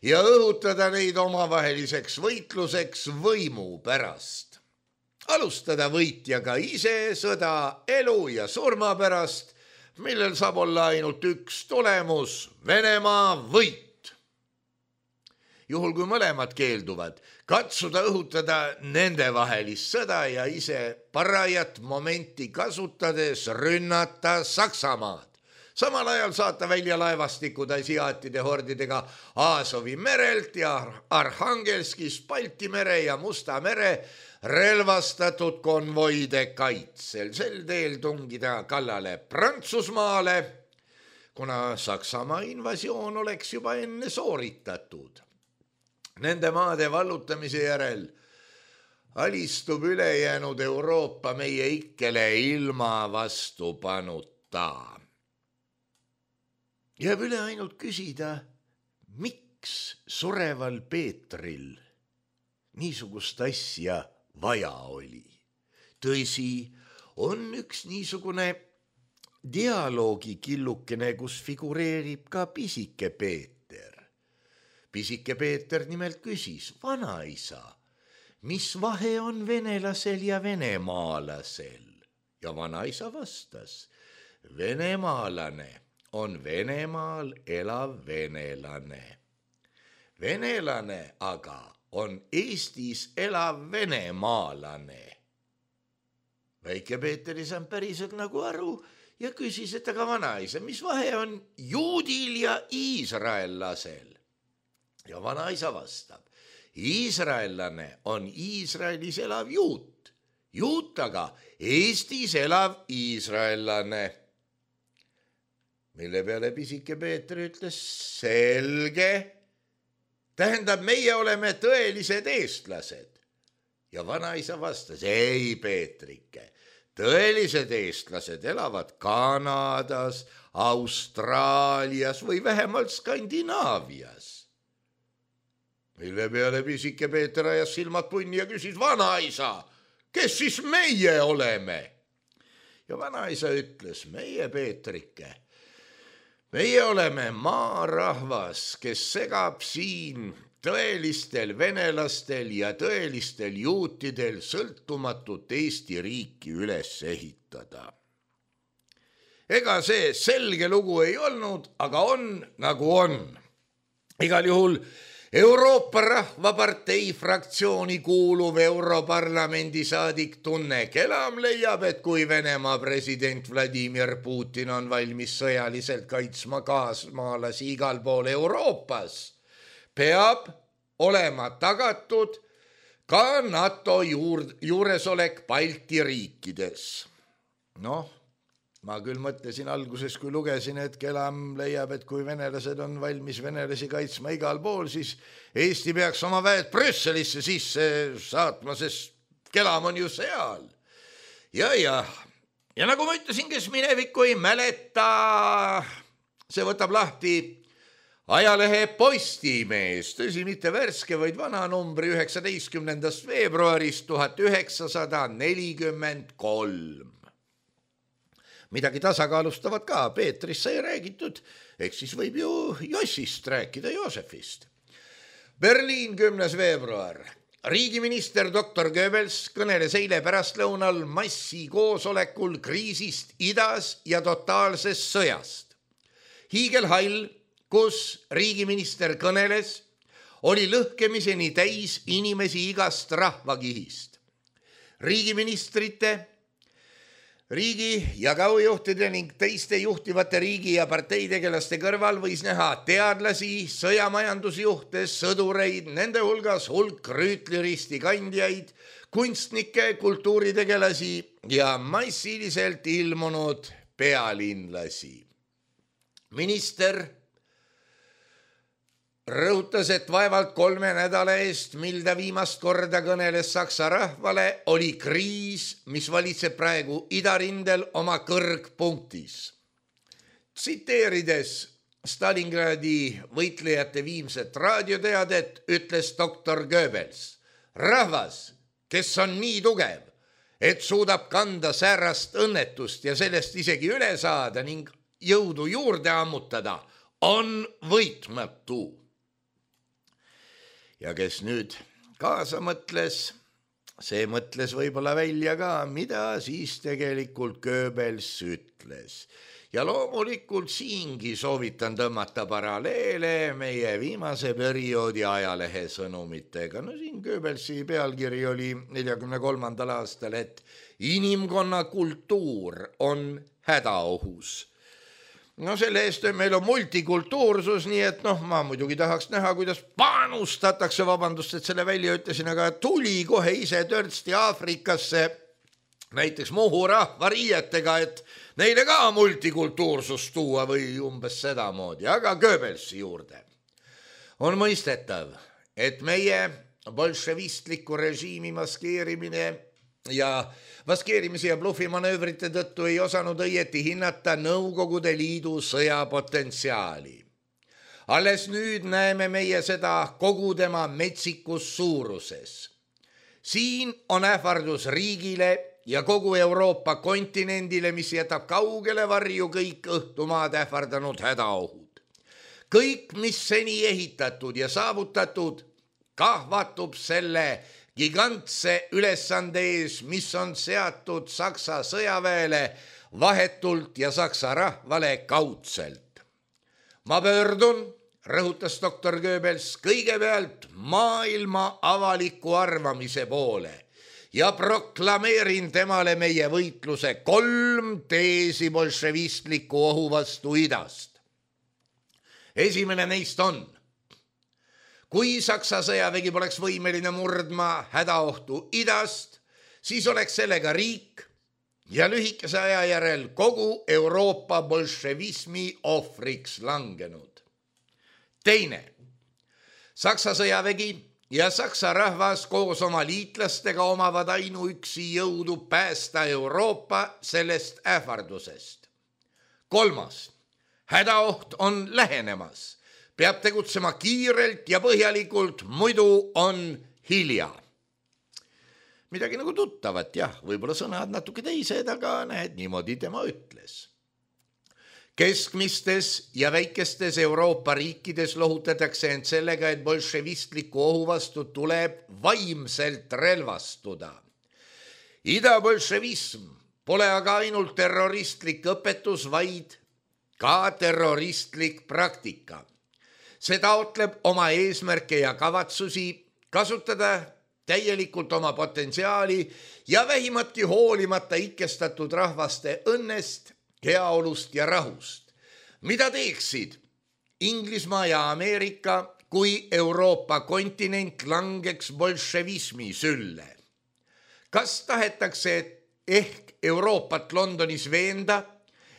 ja õhutada neid omavaheliseks võitluseks võimu pärast. Alustada võitjaga ise sõda elu ja surma pärast, millel saab olla ainult üks tulemus, Venemaa võit. Juhul kui mõlemad keelduvad, katsuda õhutada nende vahelist sõda ja ise parajat momenti kasutades rünnata Saksamaad. Samal ajal saata välja laevastikud asiaatide hordidega Aasovi merelt ja Arhangelskist Balti mere ja Musta mere relvastatud konvoide kaitsel. Sel teel tungida kallale Prantsusmaale, kuna Saksamaa invasioon oleks juba enne sooritatud. Nende maade vallutamise järel alistub ülejäänud Euroopa meie ikkele ilma vastupanuta. Jääb üle ainult küsida, miks sureval Peetril niisugust asja vaja oli. Tõsi, on üks niisugune dialoogikillukene, kus figureerib ka pisike Peeter. Pisike Peeter nimelt küsis, vanaisa, mis vahe on venelasel ja venemaalasel? Ja vanaisa vastas, venemaalane on Venemaal elav venelane. Venelane aga on Eestis elav venemaalane. Väike Peeter ei saanud päriselt nagu aru ja küsis, et aga vanaisa, mis vahe on juudil ja iisraellasel? Ja vanaisa vastab, iisraellane on Iisraelis elav juut, juut aga Eestis elav iisraellane. Mille peale pisike Peeter ütles, selge, tähendab, meie oleme tõelised eestlased. Ja vanaisa vastas, ei Peetrike, tõelised eestlased elavad Kanadas, Austraalias või vähemalt Skandinaavias. Mille peale pisike Peeter ajas silmad punni ja küsis, vanaisa, kes siis meie oleme? Ja vanaisa ütles, meie Peetrike, meie oleme maarahvas, kes segab siin tõelistel venelastel ja tõelistel juutidel sõltumatut Eesti riiki üles ehitada. Ega see selge lugu ei olnud, aga on nagu on. Igal juhul Euroopa Rahvapartei fraktsiooni kuuluv Europarlamendi saadik Tunne Kelam leiab, et kui Venemaa president Vladimir Putin on valmis sõjaliselt kaitsma kaasmaalasi igal pool Euroopas, peab olema tagatud ka NATO juuresolek Balti riikides. Ma küll mõtlesin alguses, kui lugesin, et Kelam leiab, et kui venelased on valmis venelasi kaitsma igal pool, siis Eesti peaks oma väed Brüsselisse sisse saatma, sest Kelam on ju seal. Ja nagu ma ütlesin, kes minevikku ei mäleta, see võtab lahti ajalehe Postimees, tõsi, mitte värske, vaid vana numbri 19. veebruarist 1943. Midagi tasakaalustavat ka, Peetrist sai räägitud, eks siis võib ju Jossist rääkida, Joosefist. Berliin, 10. veebruar. Riigiminister Dr. Goebbels kõneles eile pärastlõunal massikoosolekul kriisist idas ja totaalsest sõjast. Hiigelhall, kus riigiminister kõneles, oli lõhkemiseni täis inimesi igast rahvakihist. Riigiministrite, riigi- ja kaujuhtide ning teiste juhtivate riigi- ja parteitegelaste kõrval võis näha teadlasi, sõjamajandusjuhte, sõdureid, nende hulgas hulk rüütliristi kandjaid, kunstnikke, kultuuritegelasi ja massiliselt ilmunud pealinlasi. Minister rõhutas, et vaevalt 3 nädala eest, mil ta viimast korda kõneles Saksa rahvale, oli kriis, mis valitseb praegu idarindel oma kõrgpunktis. Tsiteerides Stalingradi võitlejate viimset raadioteadet, ütles doktor Goebbels: rahvas, kes on nii tugev, et suudab kanda säärast õnnetust ja sellest isegi üle saada ning jõudu juurde ammutada, on võitmatu. Ja kes nüüd kaasa mõtles, see mõtles võib-olla välja ka, mida siis tegelikult Goebbels ütles. Ja loomulikult siingi soovitan tõmmata paralleele meie viimase perioodi ajalehe sõnumitega. No siin Goebbelsi pealkiri oli 1943. aastal, et inimkonna kultuur on hädaohus. No selle eest meil on multikultuursus, nii et ma muidugi tahaks näha, kuidas panustatakse, vabandust, et selle välja ütlesin, aga tuli kohe ise törtsti Aafrikasse näiteks Muhu rahva riietega, et neile ka multikultuursust tuua või umbes sedamoodi, aga Goebbelsi juurde. On mõistetav, et meie bolševistliku režiimi maskeerimise ja blufimanöövrite tõttu ei osanud õieti hinnata Nõukogude Liidu sõjapotentsiaali. Alles nüüd näeme meie seda kogu tema metsikus suuruses. Siin on ähvardus riigile ja kogu Euroopa kontinendile, mis jätab kaugele varju kõik õhtumaad ähvardanud hädaohud. Kõik, mis seni ehitatud ja saavutatud, kahvatub selle gigantse ülesande ees, mis on seatud Saksa sõjaväele vahetult ja Saksa rahvale kaudselt. Ma pöördun, rõhutas doktor Goebbels, kõigepealt maailma avaliku arvamise poole ja proklameerin temale meie võitluse 3 teesi bolševistliku ohu vastu idast. Esimene neist on: kui Saksa sõjavägi poleks võimeline murdma hädaohtu idast, siis oleks sellega riik ja lühikese aja järel kogu Euroopa bolševismi ohvriks langenud. Teine: Saksa sõjavägi ja Saksa rahvas koos oma liitlastega omavad ainuüksi jõudu päästa Euroopa sellest ähvardusest. Kolmas: hädaoht on lähenemas. Peab tegutsema kiirelt ja põhjalikult, muidu on hilja. Midagi nagu tuttavat, jah, võib-olla sõnad natuke teised, aga näed, niimoodi tema ütles. Keskmistes ja väikestes Euroopa riikides lohutatakse end sellega, et bolševistliku ohu vastu tuleb vaimselt relvastuda. Ida-bolševism pole aga ainult terroristlik õpetus, vaid ka terroristlik praktika. See taotleb oma eesmärke ja kavatsusi, kasutada täielikult oma potentsiaali ja vähimatki hoolimata ikkestatud rahvaste õnnest, heaolust ja rahust. Mida teeksid Inglismaa ja Ameerika, kui Euroopa kontinent langeks bolševismi sülle? Kas tahetakse ehk Euroopat Londonis veenda,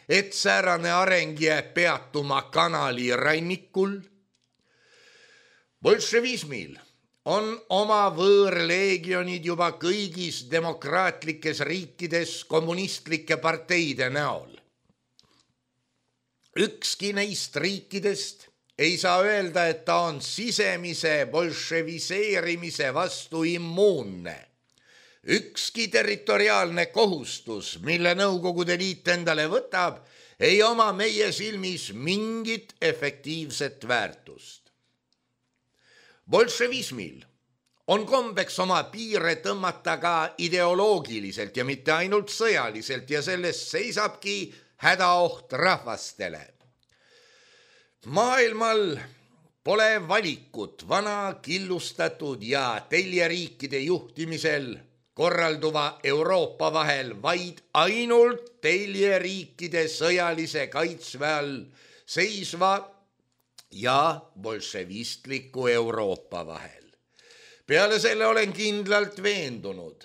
et säärane areng jääb peatuma kanali rannikul. Bolševismil on oma võõrleegionid juba kõigis demokraatlikes riikides kommunistlike parteide näol. Ükski neist riikidest ei saa öelda, et ta on sisemise bolševiseerimise vastu immuunne. Ükski territoriaalne kohustus, mille Nõukogude Liit endale võtab, ei oma meie silmis mingit efektiivset väärtust. Bolševismil on kombeks oma piire tõmmata ka ideoloogiliselt ja mitte ainult sõjaliselt ja sellest seisabki hädaoht rahvastele. Maailmal pole valikut vana killustatud ja teljeriikide juhtimisel korralduva Euroopa vahel, vaid ainult teljeriikide sõjalise kaitsve all seisva ja bolševistliku Euroopa vahel. Peale selle olen kindlalt veendunud,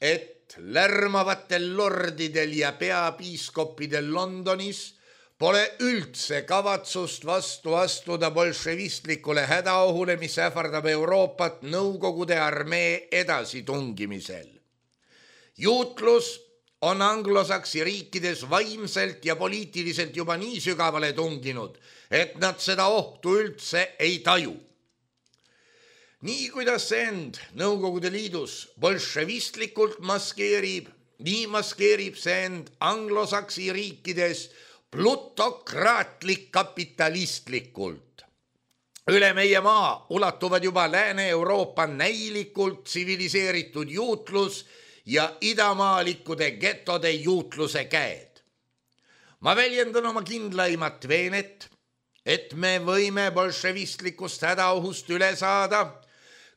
et lärmavatel lordidel ja peapiiskoppidel Londonis pole üldse kavatsust vastu astuda bolševistlikule hädaohule, mis ähvardab Euroopat Nõukogude armee edasitungimisel. Juutlus on anglosaksi riikides vaimselt ja poliitiliselt juba nii sügavale tunginud, et nad seda ohtu üldse ei taju. Nii kuidas see end Nõukogude Liidus bolševistlikult maskeerib, nii maskeerib see end anglosaksi riikides plutokraatlik kapitalistlikult. Üle meie maa ulatuvad juba Lääne-Euroopa näilikult tsiviliseeritud juutlus ja idamaalikude getode juutluse käed. Ma väljendan oma kindlaimat veenet, et me võime bolševistlikust hädaohust üle saada,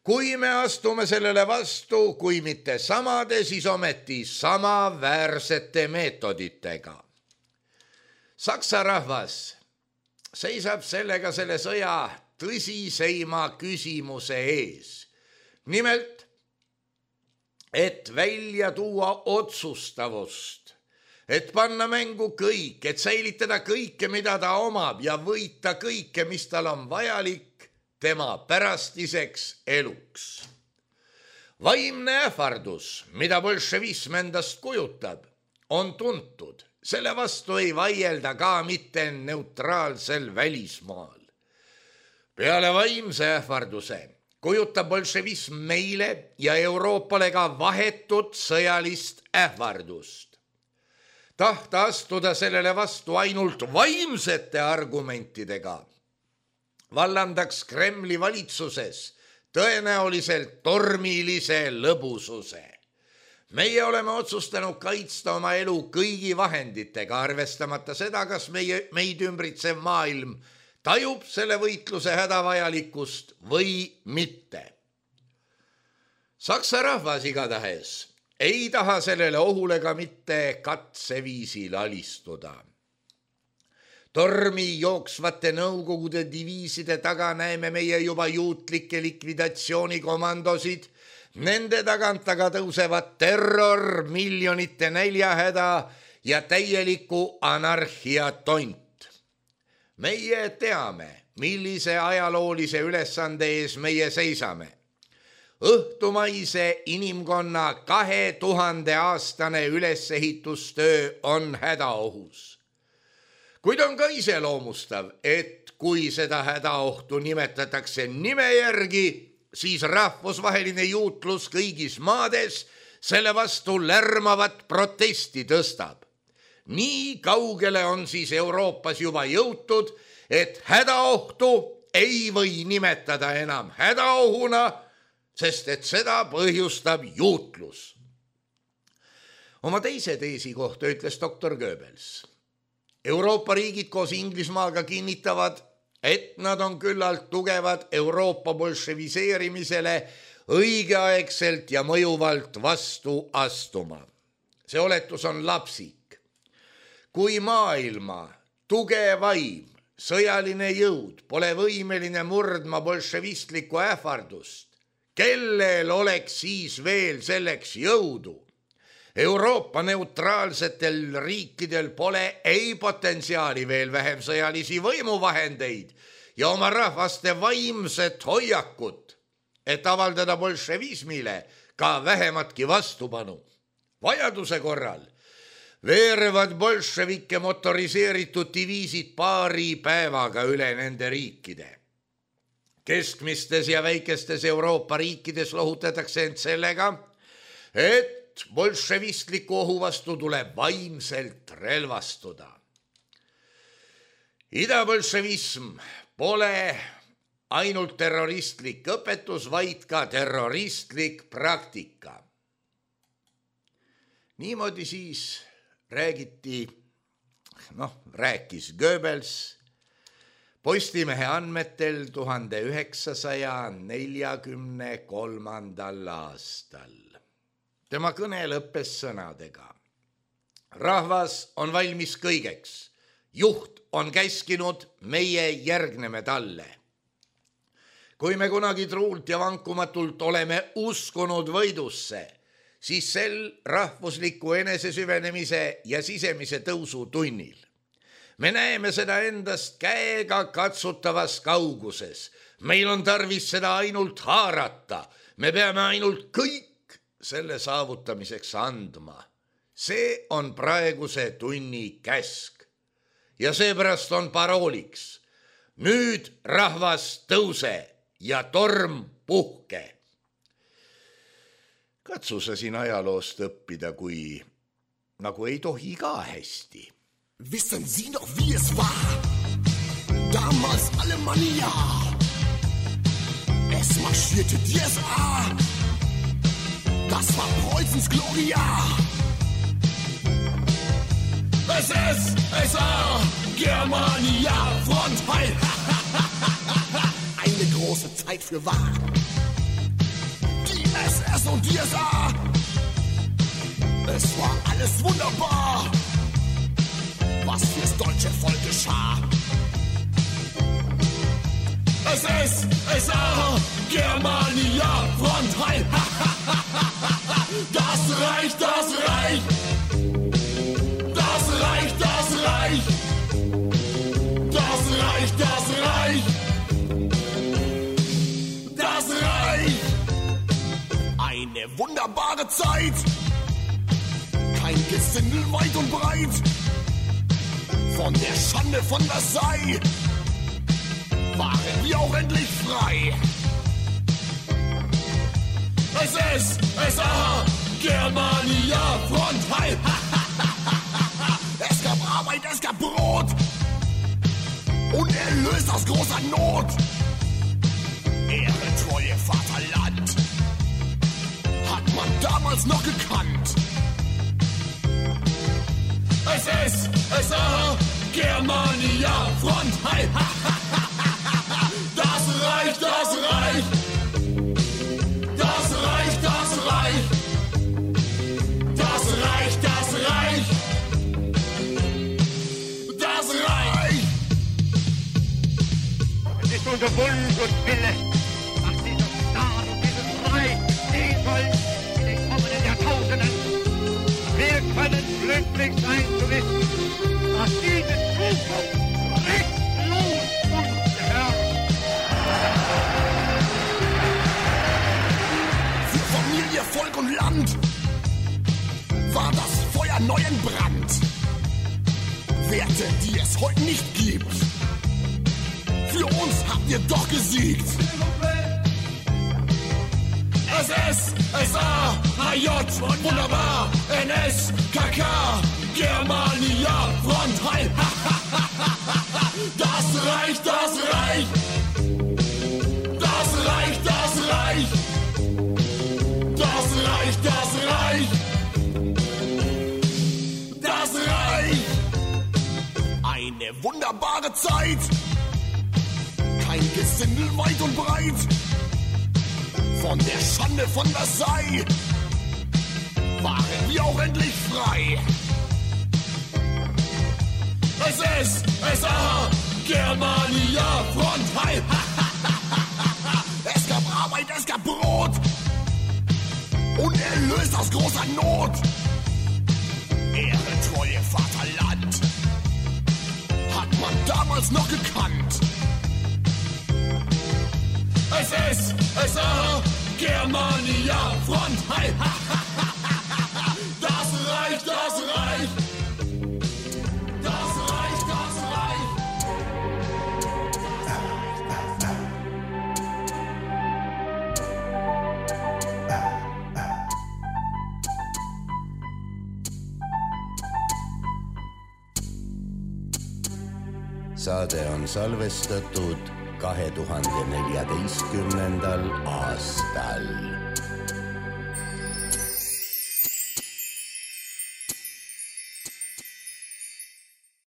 kui me astume sellele vastu, kui mitte samade, siis ometi samaväärsete meetoditega. Saksa rahvas seisab sellega selle sõja tõsiseima küsimuse ees. Nimelt, et välja tuua otsustavust, et panna mängu kõik, et säilitada kõike, mida ta omab ja võita kõike, mis tal on vajalik tema pärastiseks eluks. Vaimne ähvardus, mida bolševism endast kujutab, on tuntud. Selle vastu ei vaielda ka mitte neutraalsel välismaal. Peale vaimse ähvarduse kujutab bolševism meile ja Euroopale ka vahetut sõjalist ähvardust. Tahta astuda sellele vastu ainult vaimsete argumentidega vallandaks Kremli valitsuses tõenäoliselt tormilise lõbususe. Meie oleme otsustanud kaitsta oma elu kõigi vahenditega, arvestamata seda, kas meid ümbritsev maailm tajub selle võitluse hädavajalikkust või mitte. Saksa rahvas igatahes ei taha sellele ohule ka mitte katseviisil alistuda. Tormi jooksvate Nõukogude diviiside taga näeme meie juba juutlikke likvidatsioonikomandosid. Nende tagant aga tõusevad terror, miljonite näljahäda ja täieliku anarhia tont. Meie teame, millise ajaloolise ülesande ees meie seisame. Õhtumaise inimkonna 2000-aastane ülesehitustöö on hädaohus. Kuid on ka iseloomustav, et kui seda hädaohtu nimetatakse nime järgi, siis rahvusvaheline juutlus kõigis maades selle vastu lärmavat protesti tõstab. Nii kaugele on siis Euroopas juba jõutud, et hädaohtu ei või nimetada enam hädaohuna, sest et seda põhjustab juutlus. Oma teise teesi kohta ütles doktor Goebbels. Euroopa riigid koos Inglismaaga kinnitavad, et nad on küllalt tugevad Euroopa bolševiseerimisele õigeaegselt ja mõjuvalt vastu astuma. See oletus on lapsik. Kui maailma tugevaim sõjaline jõud pole võimeline murdma bolševistlikku ähvardust, kellel oleks siis veel selleks jõudu? Euroopa neutraalsetel riikidel pole ei potentsiaali, veel vähem sõjalisi võimuvahendeid ja oma rahvaste vaimset hoiakut, et avaldada bolševismile ka vähematki vastupanu. Vajaduse korral veerevad bolševike motoriseeritud diviisid paari päevaga üle nende riikide. Keskmistes ja väikestes Euroopa riikides lohutatakse end sellega, et bolševistliku ohu vastu tuleb vaimselt relvastuda. Idabolševism pole ainult terroristlik õpetus, vaid ka terroristlik praktika. Niimoodi siis rääkis Goebbels Postimehe andmetel 1943. aastal. Tema kõne lõppes sõnadega. Rahvas on valmis kõigeks. Juht on käskinud, meie järgneme talle. Kui me kunagi truult ja vankumatult oleme uskunud võidusse, siis sel rahvusliku enesesüvenemise ja sisemise tõusu tunnil. Me näeme seda endast käega katsutavas kauguses. Meil on tarvis seda ainult haarata. Me peame ainult kõik selle saavutamiseks andma. See on praeguse tunni käsk. Ja seepärast on parooliks. Nüüd rahvas tõuse ja torm puhke. Katsu sa siin ajaloost õppida, kui nagu ei tohi ka hästi. Wissen Sie noch, wie es war? Damals Alemannia. Es marschierte die SA. Das war Preußens Gloria. SS, SA, Germania, Front heil. Eine große Zeit für wahr. Die SS und die SA. Es war alles wunderbar. Was fürs deutsche Volk geschah. SS, SA, Germania, Front heil. Das Reich, das Reich. Das Reich, das Reich. Das Reich, das Reich. Das Reich. Eine wunderbare Zeit. Kein Gesindel weit und breit. Von der Schande von Versailles waren wir auch endlich frei. SS, SA, Germania, Front heil. Es gab Arbeit, es gab Brot und erlöst aus großer Not. Ehre, Treue, Vaterland hat man damals noch gekannt. SS, SA, Germania, Front heil. Das Reich, das Reich. Das Reich, das Reich. Das Reich, das Reich. Das Reich. Es ist unser Wunsch und Wille, dass dieser Staat und dieses Reich stehen sollen in den kommenden Jahrtausenden. Wir können glücklich sein zu wissen, dass diese Zukunft rechtlos uns gehört. Für Familie, Volk und Land war das Feuer neu entbrannt. Werte, die es heute nicht gibt. Für uns habt ihr doch gesiegt. SS, SA, HJ, wunderbar, NS, KK, Germania, Front heil. Das Reich, das Reich. Das Reich, das Reich. Das Reich, das Reich. Das Reich. Eine wunderbare Zeit. Kein Gesindel weit und breit. Von der Schande von Versailles waren wir auch endlich frei. SS, SA, Germania, Front heil. Es gab Arbeit, es gab Brot und erlöst aus großer Not. noch gekannt. SSSR, Germania, Front, hi, ha, ha, ha, ha, ha. Das Reich, das Reich. Das Reich, das Reich. Saade on salvestatud 2014. aastal.